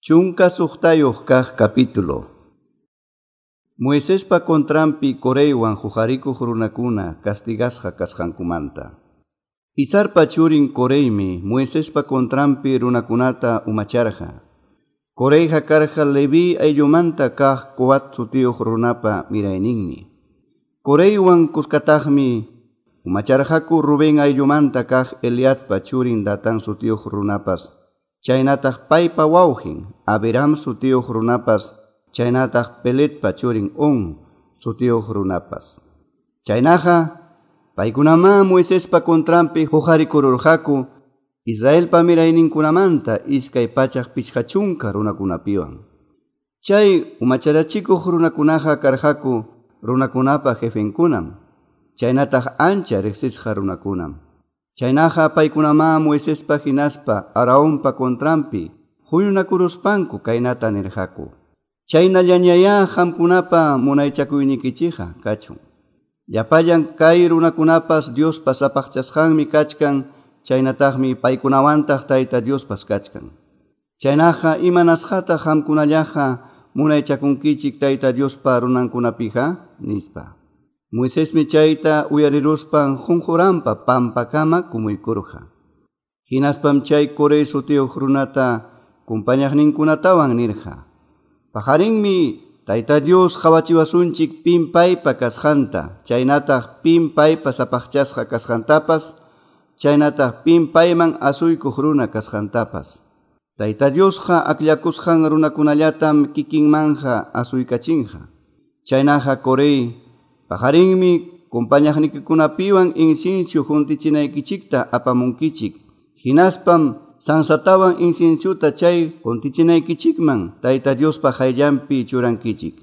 16 kaq capítulo. Moisespa contranpi Coreywan huqarikuq runakuna castigasqa kasqankumanta. Izarpa churin Coreymi Moisespa contranpi runakunata umacharqa. Coreyqa karqa Leví ayllumanta kaq Coat sutiyuq runapa mirayninmi. Coreywan kuskataqmi umacharqaku Rubén ayllumanta kaq Eliadpa churin Datán sutiyuq runapas, chaynataq paypa wawqin Abiram sutiyuq runapas, chaynataq Peletpa churin On sutiyuq runapas. Chaynaqa paykunamá Moisespa contranpi huqarikururqaku Israelpa mirayninkunamanta 250 runakunapiwan. Chay umacharachikuq runakunaqa karqaku runakunapa jefenkunam, chaynataq ancha riqsisqa runakunam. Chaynaqa paykunamá Moisespa hinaspa Aaronpa contranpi huñunakuruspanku kaynata nirqaku: Chaynallañayá qamkunapa munaychakuynikichikqa kachun. Llapallan kay runakunapas Diospa sapaqchasqanmi kachkan, chaynataqmi paykunawantaq Tayta Diospas kachkan. Chaynaqa imanasqataq qamkunallaqa munaychakunkichik Tayta Diospa runankunapiqa, nispa. Moisesmi chayta uyariruspan qunquranpa pampakama kumuykurqa. Hinaspam chay Corey sutiyuq runata kumpañaqninkunatawan nirqa: Paqarinmi Tayta Dios qawachiwasunchik pim paypa kasqanta, chaynataq pim paypa sapaqchasqa kasqantapas, chaynataq pim payman asuykuq runa kasqantapas. Tayta Diosqa akllakusqan runakunallatam kikinmanja asuykachinqa. Chaynaqa Corey, paqarinmi kumpañaqnikikunapiwan incienso juntichinaykichikta apamunkichik. Hinaspam sansatawan inciensuta chay juntichinaykichikman Tayta Diospa qayllanpi churankichik.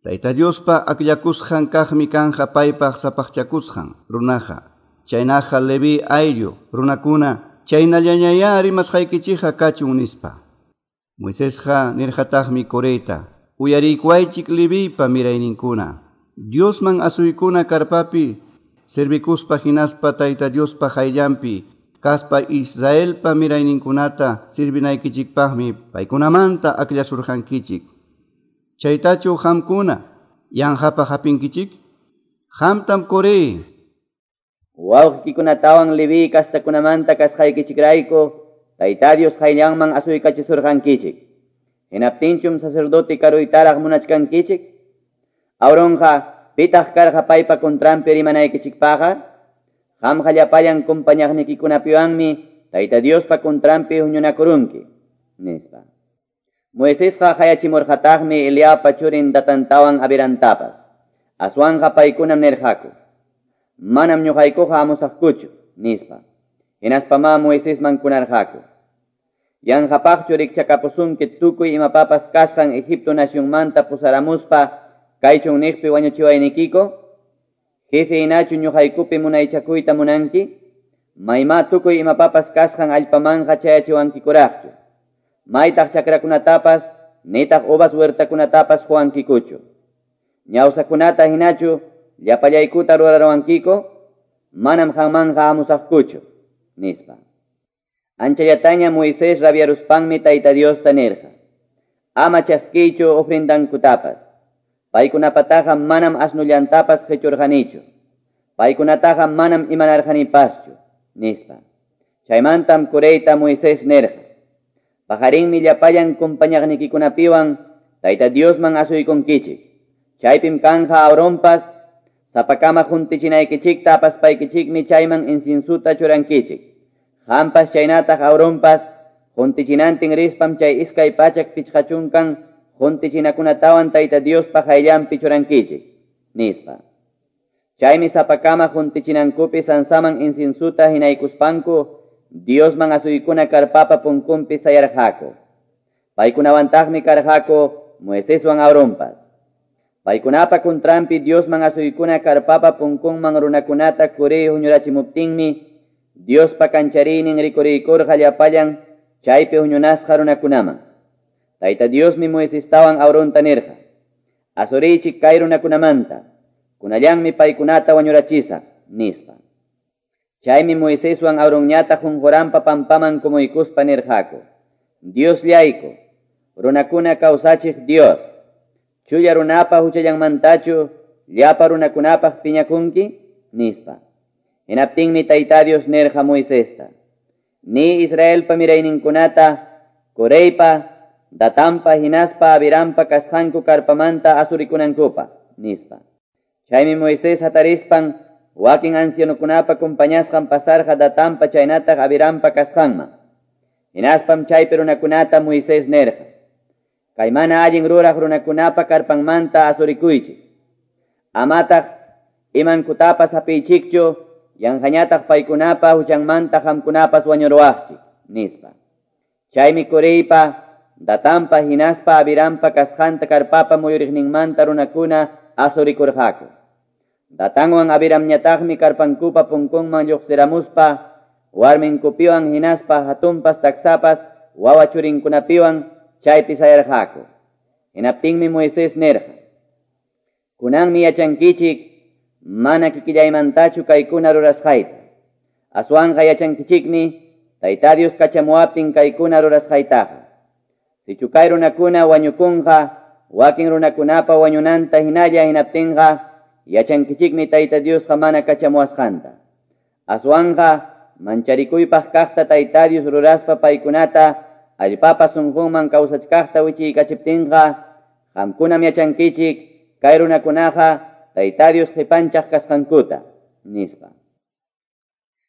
Tayta Diospa akllakusqan kaqmi kanja paypaq sapaqchakusqan runaqa. Chaynaqa Leví ayllu runakuna chaynallañayá rimasqaykichikqa kachun, nispa. Moisesqa nirqataqmi Coreyta: Uyariykuwaychik Leviypa mirayninkuna. Diosman asuykuna karpapi servikuspa hinaspa Tayta Diospa qayllanpi kaspa Israelpa mirayninkunata sirvinaykichikpaqmi paykunamanta akllasurqankichik. Chaytachu qamkuna yanqapaq hapinkichik? Qamtam Corey, wawqiykunatawan Leví kastakunamanta kasqaykichikrayku Tayta Dios qayllanman asuykachisurqankichik. Hinaptinchum sacerdote karuytaraq munachkankichik? Aaronqa pitaq karqa paypa contranpi rimanaykichikpaqqa? Qamqa llapallan kumpañaqnikikunapiwanmi Tayta Diospa contranpi huñunakurunki, nispa. Moisesqa qayachimurqataqmi Eliabpa churin Datantawan Abirantapas. Aswanqa paykunam nirqaku: Manam ñuqaykuqa amusaqkuchu, nispa. Hinaspamá Moisesman kunarqaku: Yanqapaqchu rikchakapusunki tukuy imapapas kasqan Egipto nacionmanta pusaramuspa kaychun niqpi wañuchiwaynikiku? Jefe hinachu ñuqaykupi munaychakuyta munanki? Maymá tukuy imapapas kasqan allpamanqa chayachiwankikuraqchu. Maytaq chakrakunatapas nitaq uvas huertakunatapas quwankikuchu. Ñawsakunata hinachu llapallaykuta rurarwankiku? Manam qanmanqa amusaqkuchu, nispa. Anchallataña Moisés rabiaruspanmi Tayta Diosta nirqa: Ama chaskiychu ofrendankutapas. Paykunapataqa manam asnullantapas qichurqanichu. Paykunataqa manam imanarqanipaschu, nispa. Chaymantam Coreyta Moisés nirqa: Paqarinmi llapallan kumpañaqnikikunapiwan Tayta Diosman asuykunkichik. Chaypim kanja Aaronpas, sapakama juntichinaykichikta apaspaykichikmi chayman inciensuta churankichik. Qampas chaynataq Aaronpas juntichinantin rispam chay 250 juntichinakunatawan Tayta Diospa qayllanpi churankichik, nispa. Chaymi sapakama juntichinankupi sansaman inciensuta hinaykuspanku Diosman asuykuna karpapa punkunpi sayarqaku. Paykunawantaqmi karqaku Moiseswan Aaronpas. Paykunapa contranpi Diosman asuykuna karpapa punkunman runakunata Corey huñurachimuptinmi Diospa kanchariynin rikuriykurqa llapallan chaypi huñunasqa runakunaman. Tayta Diosmi Moisestawan Aaronta nirqa: Asuriychik kay runakunamanta, kunallanmi paykunata wañurachisaq, nispa. Chaymi Moiseswan Aaronñataq qunquranpa pampaman kumuykuspa nirqaku: Diosllayku, runakuna kawsachiq Dios, chulla runapa huchallanmantachu llapa runakunapaq piñakunki, nispa. Hinaptinmi Tayta Dios nirqa Moisesta, ni Israelpa mirayninkunata, Coreypa, Datanpa hinaspa Abirampa kasqanku karpamanta asurikunankupaq, nispa. Chaymi Moisés hatarispan wakin ancianokunapa compañasqan pasarqa Datanpa chaynataq Abirampa kasqanman. Hinaspam chaypi runakunata Moisés nirqa, kay mana allin ruraq runakunapa karpanmanta asurikuychik. Amataq imankutapas hapiychikchu, yanqañataq paykunapa huchanmanta qamkunapas wañuruwaqchik, nispa. Chaymi Coreypa, Datanpa hinaspa Abirampa kasqanta karpapa muyuriqninmanta runakuna asurikurqaku. Datanwan Abiramñataqmi karpankupa punkunman lluqsiramuspa, warminkupiwan hinaspa hatunpas taksapas wawa churinkunapiwan chaypi sayarqaku. Hinaptinmi Moisés nirqa, kunanmi yachankichik mana kikillaymantachu kaykuna rurasqayta. Aswanqa yachankichikmi Tayta Dios kachamuwaptin kaykuna rurasqaytaqa. Sichu kay runakuna wañukunqa, wakin runakunapa wañunanta hinalla hinaptinqa, yachankichikmi Tayta Diosqa mana kachamuwasqanta. Aswanqa mancharikuypaq kaqta Tayta Dios ruraspa paykunata allpapa sunqunman kawsachkaqta wichiykachiptinqa, qamkunam yachankichik kay runakunaqa Tayta Dios qipanchaq kasqankuta, nispa.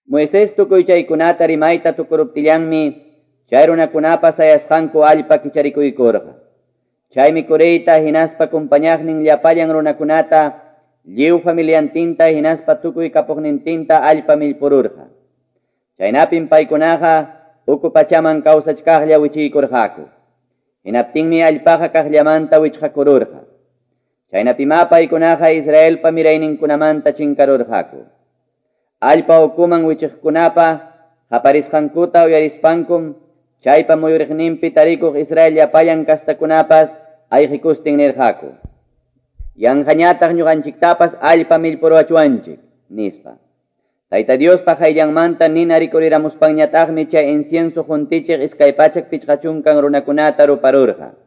Moisés tukuy chaykunata rimayta tukuruptillanmi chay runakunapa sayasqanku allpa kicharikuykurqa. Chaymi Coreyta hinaspa compañaqnin llapallan runakunata lliw familiantinta hinaspa tukuy kapuqnintinta allpa millpururqa. Chaynapim paykunaqa uku pachaman kawsachkaqlla wichiykurqaku. Hinaptinmi allpaqa kaqllamanta wichqakururqa. Chaynapima paykunaqa Israelpa mirayninkunamanta chinkarurqaku. Allpa ukuman wichiqkunapa qaparisqankuta uyarispankum chaypa muyuriqninpi tarikuq Israel llapallan kastakunapas ayqikustin nirqaku. Yanqañataq ñuqanchiktapas allpa millpuruwachuwanchik, nispa. Tayta Diospa qayllanmanta nina rikuriramuspanñataqmi chay incienso juntichiq 250 runakunata ruparurqa.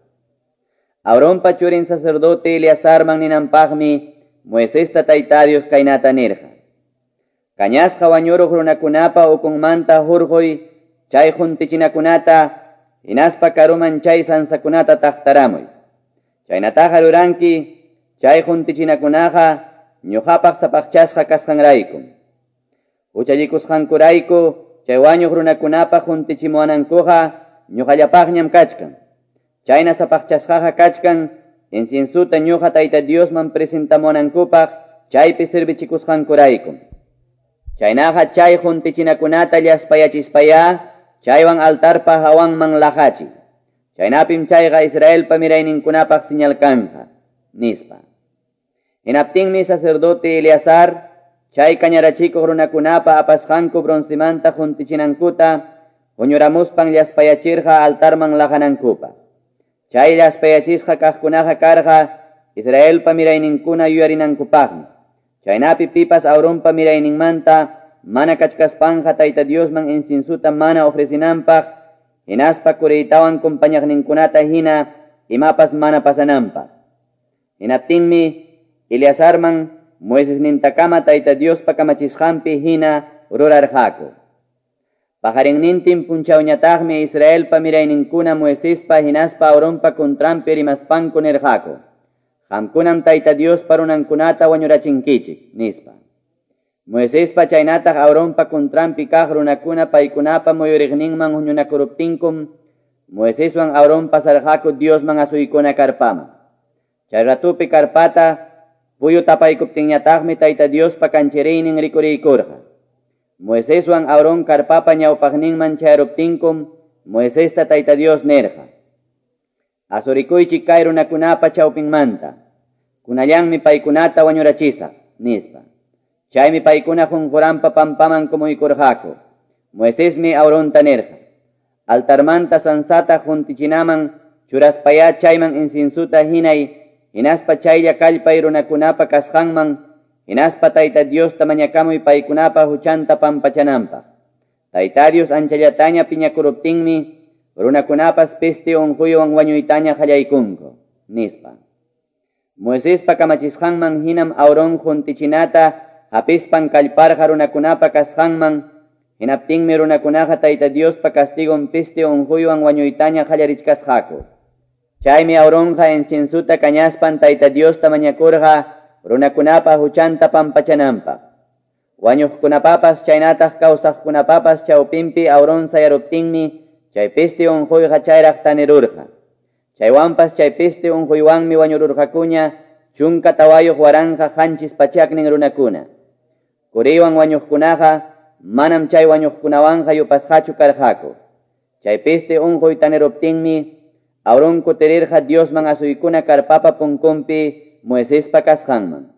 Aaronpa churin sacerdote Eleazarman ninanpaqmi Moisesta Tayta Dios kaynata nirqa. Kañasqa wañuruq runakunapa ukunmanta hurquy chay juntichinakunata hinaspa karuman chay sansakunata taqtaramuy. Chaynataqa ruranki chay juntichinakunaqa ñuqapaq sapaqchasqa kasqanraykum. Huchallikusqankurayku chay wañuq runakunapa juntichimuwanankuqa ñuqallapaqñam kachkan. Chayna sapaqchasqaqa kachkan inciensuta ñuqa Tayta Diosman presentamuwanankupaq chaypi servichikusqankuraykum. Chaynaqa chay juntichinakunata llaspayachispaya chaywan altarpa hawanman laqachi. Chaynapim chayqa Israelpa mirayninkunapaq señal kanja, nispa. Hinaptinmi sacerdote Eleazar chay kañarachikuq runakunapa apasqanku broncemanta juntichinankuta huñuramuspan llaspayachirqa altarman laqanankupaq. Chay llaspayachisqa kaqkunaqa karqa Israelpa mirayninkuna yuyarinankupaqmi. Chaynapi pipas Aaronpa mirayninmanta mana kachkaspanqa Tayta Diosman inciensuta mana ofrecinanpaq, hinaspa Coreytawan compañaqninkunata hina imapas mana pasananpaq. Hinaptinmi Eleazarman Moisesnintakama Tayta Diospa kamachisqanpi hina rurarqaku. Pajarinnintin punchawñataqmi Israelpa mirayninkuna Moisespa hinaspa Aaronpa contranpi rimaspanku nirqaku. Qamkunam Tayta Diospa runankunata wañurachinkichik, nispa. Moisespa chaynataq Aaronpa contranpi kaq runakuna paykunapa muyuriqninman huñunakuruptinkum Moiseswan Aarón pasarqaku Diosman asuykuna karpaman. Chay ratupi karpata puyu tapaykuptinñataqmi Tayta Diospa kanchiriynin rikuriykurqa. Moiseswan Aarón karpapa ñawpaqninman chayruptinkum Moisesta Tayta Dios nirqa. Asurikuychik kay runakunapa chawpinmanta. Kunallanmi paykunata wañurachisaq, nispa. Chaymi paykuna qunquranpa pampaman kumuykurqaku. Moisesmi Aaronta nirqa. Altarmanta sansata juntichinaman churaspaya chayman inciensuta hinay, hinaspa chaylla kallpay runakunapa kasqanman, hinaspa Tayta Diosta mañakamuy paykunapa huchanta pampachananpaq. Tayta Dios anchallataña piñakuruptinmi, Runakunapas peste unquywan wañuytaña qallaykunku, nispa. Moisespa kamachisqanman hinam Aarón juntichinata hapispan kallparqa runakunapa kasqanman, hinaptinmi runakunaqa Tayta Diospa castigon peste unquywan wañuytaña qallarichkasqaku. Chaymi Aaronqa inciensuta kañaspan Tayta Diosta mañakurqa runakunapa huchanta pampachananpaq. Wañuqkunapapas chaynataq kawsaqkunapapas chawpinpi Aarón sayaruptinmi chay peste unquyqa chayraq tanirurqa. Chaywanpas chay peste unquywanmi wañururqakuña 14,700 runakuna. Coreywan wañuqkunaqa manam chay wañuqkunawanqa yupasqachu karqaku. Chay peste unquy taniruptinmi Aarón kutirirqa Diosman asuykuna karpapa punkunpi Moisespa kasqanman.